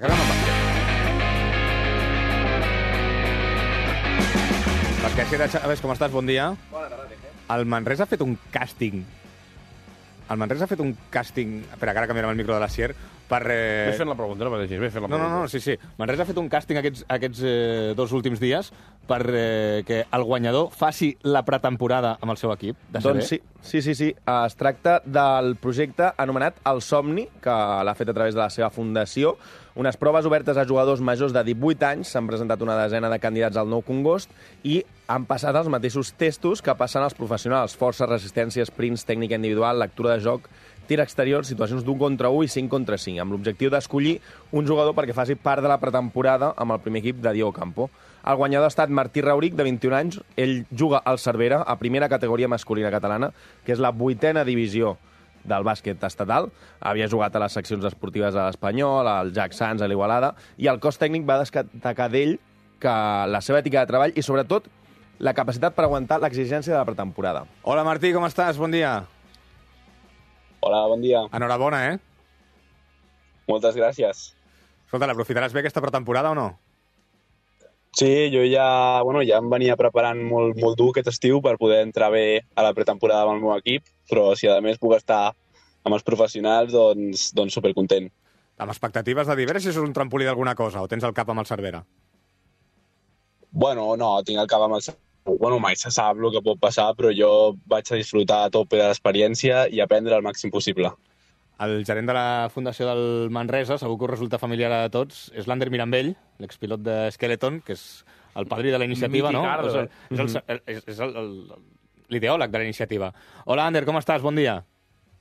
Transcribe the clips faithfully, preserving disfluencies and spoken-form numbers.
Acabem amb bàsquet. Basquetxera Chávez, com estàs? Bon dia. Bona tarda, Teje. El Manresa ha fet un càsting. El Manresa ha fet un càsting... Espera, que ara canviarem el micro de la Sier per... Eh... Ves fent la pregunta, no pateixis, ves fent la No, no, pregunta. no, sí, sí. Manresa ha fet un càsting aquests, aquests eh, dos últims dies per eh, que el guanyador faci la pretemporada amb el seu equip de C B. Doncs sí, sí, sí, sí. Es tracta del projecte anomenat El Somni, que l'ha fet a través de la seva fundació. Unes proves obertes a jugadors majors de divuit anys. S'han presentat una desena de candidats al Nou Congost i han passat els mateixos testos que passen els professionals. Força, resistència, sprints, tècnica individual, lectura de joc, tir exterior, situacions d'un contra un i cinc contra cinc, amb l'objectiu d'escollir un jugador perquè faci part de la pretemporada amb el primer equip de Diego Campo. El guanyador ha estat Martí Rauric, de vint-i-un anys. Ell juga al Cervera, a primera categoria masculina catalana, que és la vuitena divisió del bàsquet estatal. Havia jugat a les seccions esportives a l'Espanyol, al Jack Sands, a l'Igualada, i el cos tècnic va destacar d'ell que la seva ètica de treball i, sobretot, la capacitat per aguantar l'exigència de la pretemporada. Hola, Martí, com estàs? Bon dia. Hola, bon dia. Enhorabona, eh? Moltes gràcies. Escolta, l'aprofitaràs bé aquesta pretemporada o no? Sí, jo ja, bueno, ja em venia preparant molt, molt dur aquest estiu per poder entrar bé a la pretemporada amb el meu equip, però si a més puc estar amb els professionals, doncs, doncs supercontent. Amb expectatives de dir, a veure si és un trampolí d'alguna cosa o tens el cap amb el Cervera? Bueno, no, tinc el cap amb el... Bueno, mai se sap el que pot passar, però jo vaig a disfrutar a tope de l'experiència i aprendre el màxim possible. El gerent de la Fundació del Manresa, segur que us resulta familiar a tots, és l'Ander Mirambell, l'expilot de Skeleton, que és el padrí de la iniciativa, no? És el- és el- és- és el- el- l'ideòleg de la iniciativa. Hola, Ander, com estàs? Bon dia.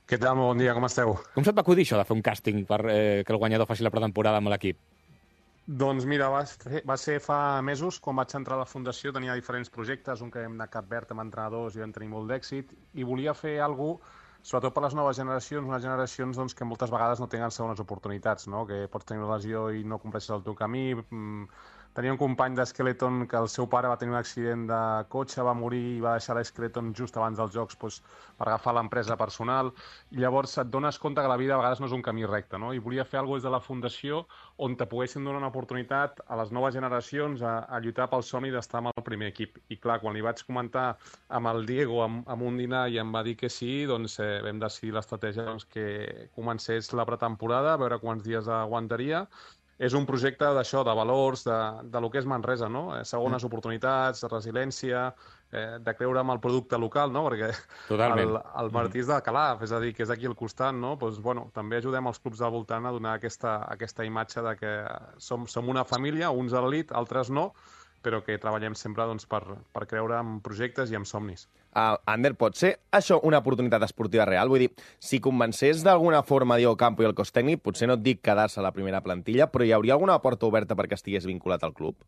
Què tal? Bon dia, com esteu? Com se't va acudir això de fer un càsting per eh, que el guanyador faci la pretemporada amb l'equip? Doncs mira, va ser, va ser fa mesos, quan vaig entrar a la Fundació, tenia diferents projectes, un que hem anat a Cap Verd amb entrenadors i vam tenir molt d'èxit, i volia fer alguna cosa, sobretot per les noves generacions, unes generacions doncs, que moltes vegades no tenen segones oportunitats, no? Que pots tenir una lesió i no compleixes el teu camí. Mm, Tenia un company d'Skeleton que el seu pare va tenir un accident de cotxe, va morir i va deixar l'Skeleton just abans dels Jocs doncs, per agafar l'empresa personal. I llavors et dones compte que la vida a vegades no és un camí recte, no? I volia fer alguna cosa des de la Fundació on te poguessin donar una oportunitat a les noves generacions a, a lluitar pel somni d'estar amb el primer equip. I clar, quan li vaig comentar amb el Diego, amb, amb un dinar, i em va dir que sí, doncs eh, vam decidir l'estratègia doncs, que comencés la pretemporada, a veure quants dies aguantaria. És un projecte d'això, de valors, de, de lo que és Manresa, no? Eh, Segones oportunitats, de resiliència, eh, de creure en el producte local, no? Perquè Totalment. el, el Martí és de Calaf, és a dir, que és aquí al costat, no? Doncs, bueno, també ajudem els clubs del voltant a donar aquesta, aquesta imatge de que som, som una família, uns a l'elit, altres no, però que treballem sempre doncs, per, per creure en projectes i en somnis. Uh, Ander, pot ser això una oportunitat esportiva real? Vull dir, si convencés d'alguna forma Diego Campo i el cos tècnic, potser no et dic quedar-se a la primera plantilla, però hi hauria alguna porta oberta perquè estigués vinculat al club?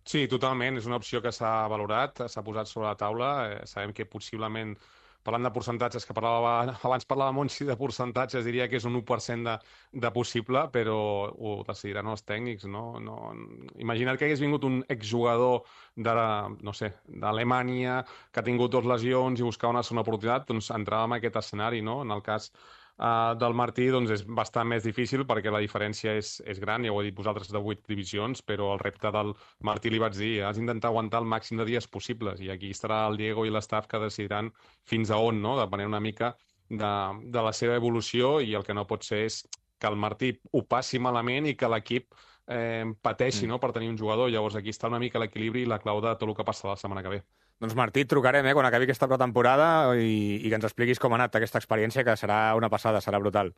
Sí, totalment. És una opció que s'ha valorat, s'ha posat sobre la taula. Eh, sabem que possiblement, parlant de percentatges, que parlava, abans parlava Montsi de percentatges, diria que és un u per cent de, de possible, però ho decidiran els tècnics, no? no imagina't que hagués vingut un exjugador de, no sé, d'Alemanya, que ha tingut dues lesions i buscava una segona oportunitat, doncs entràvem en aquest escenari, no? En el cas Uh, del Martí doncs és bastant més difícil perquè la diferència és, és gran, ja ho he dit vosaltres, de vuit divisions, però el repte del Martí li vaig dir, has d'intentar aguantar el màxim de dies possibles, i aquí estarà el Diego i l'estaf que decidiran fins a on, no? Depenent una mica de, de la seva evolució, i el que no pot ser és que el Martí ho passi malament i que l'equip eh, pateixi mm. no? per tenir un jugador. Llavors aquí està una mica l'equilibri i la clau de tot el que passa la setmana que ve. Doncs Martí, et trucarem eh, quan acabi aquesta pretemporada i, i que ens expliquis com ha anat aquesta experiència, que serà una passada, serà brutal.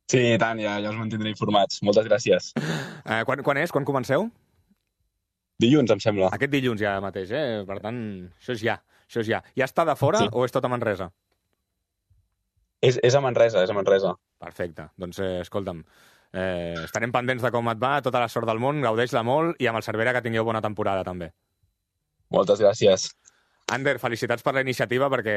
Sí, i tant, ja, ja us mantindré informats. Moltes gràcies. Eh, quan, quan és? Quan comenceu? Dilluns, em sembla. Aquest dilluns ja mateix, eh? Per tant, això és ja. Això és ja. Ja està de fora sí. o és tot a Manresa? És, és a Manresa, és a Manresa. Perfecte. Doncs, eh, escolta'm, eh, estarem pendents de com et va, tota la sort del món, gaudeix-la molt, i amb el Cervera que tingueu bona temporada, també. Moltes gràcies. Ander, felicitats per la iniciativa, perquè,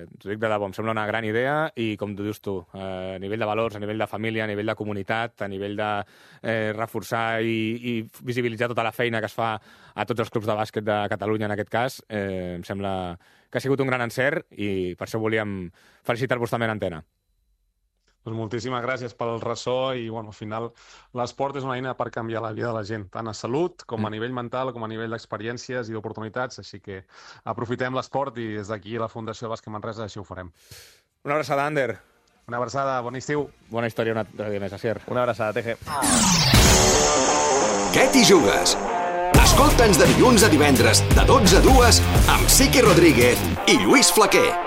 t'ho dic de debò, em sembla una gran idea, i com tu dius tu, eh, a nivell de valors, a nivell de família, a nivell de comunitat, a nivell de eh, reforçar i, i visibilitzar tota la feina que es fa a tots els clubs de bàsquet de Catalunya, en aquest cas, eh, em sembla que ha sigut un gran encert, i per això volíem felicitar-vos també en antena. Doncs moltíssimes gràcies pel ressò i, bueno, al final l'esport és una eina per canviar la vida de la gent, tant a salut com a nivell mental, com a nivell d'experiències i d'oportunitats, així que aprofitem l'esport i des d'aquí la Fundació Bàsquet Manresa així ho farem. Una abraçada, Ander. Una abraçada, bon estiu. Bona història una altra dia més, Asier. Una abraçada, Teje. Què t'hi jugues? Escolta'ns de dilluns a divendres, de dotze a dues, amb Sique Rodríguez i Lluís Flaquer.